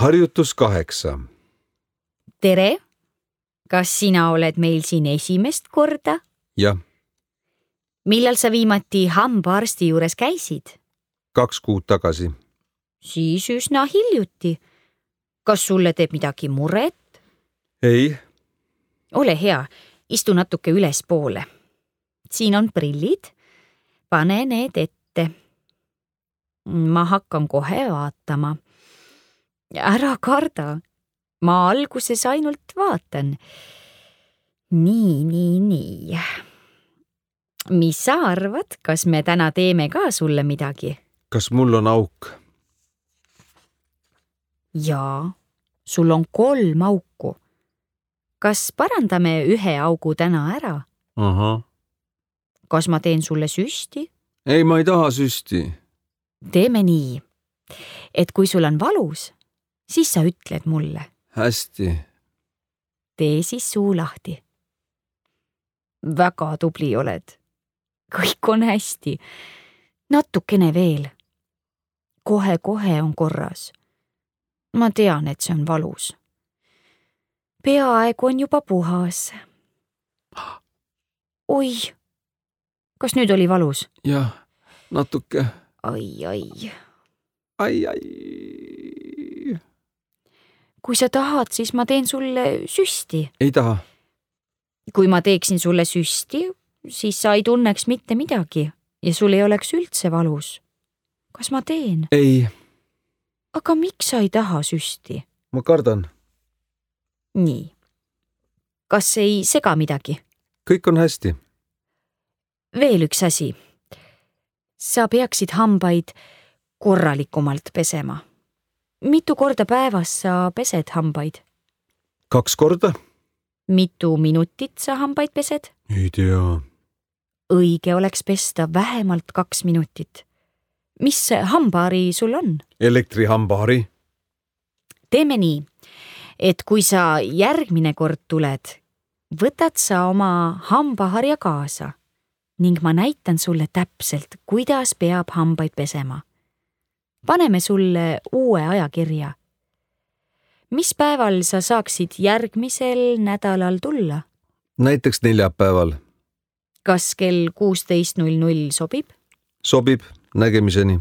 Harjutus 8. Tere! Kas sina oled meil siin esimest korda? Jah, Millal sa viimati hambaarsti juures käisid? 2 kuud tagasi. Siis üsna hiljuti. Kas sulle teeb midagi muret? Ei, Ole hea, istu natuke ülespoole. Siin on prillid. Pane need ette. Ma hakkan kohe vaatama. Ära karda. Ma alguses ainult vaatan. Nii. Mis sa arvad, kas me täna teeme ka sulle midagi? kas mul on auk? Jaa, sul on 3 auku. Kas parandame 1 augu täna ära? Ahah. Kas ma teen sulle süsti? Ei, ma ei taha süsti. Teeme nii, et kui sul on valus, siis sa ütled mulle. Hästi. Tee siis suu lahti. Väga tubli oled. Kõik on hästi. Natukene veel. Kohe on korras. Ma tean, et see on valus. Peaaegu on juba puhas. Oi, kas nüüd oli valus? Jah, natuke. Ai. Ai. Kui sa tahad, siis ma teen sulle süsti. Ei taha. Kui ma teeksin sulle süsti, siis sa ei tunneks mitte midagi ja sul ei oleks üldse valus. Kas ma teen? Ei, Aga miks sa ei taha süsti? ma kardan. Nii. Kas ei sega midagi? Kõik on hästi. Veel üks asi. Sa peaksid hambaid korralikumalt pesema. Mitu korda päevas sa pesed hambaid? 2 korda? Mitu minutit sa hambaid pesed? Ei tea. Õige oleks pesta vähemalt 2 minutit. Mis hambaari sul on? Elektrihambaari. Teeme nii, et kui sa järgmine kord tuled, võtad sa oma hambaharja kaasa ning ma näitan sulle täpselt, kuidas peab hambaid pesema. Paneme sulle uue ajakirja. Mis päeval sa saaksid järgmisel nädalal tulla? Näiteks neljapäeval. Kas kell 16:00 sobib? Sobib. Nägemiseni.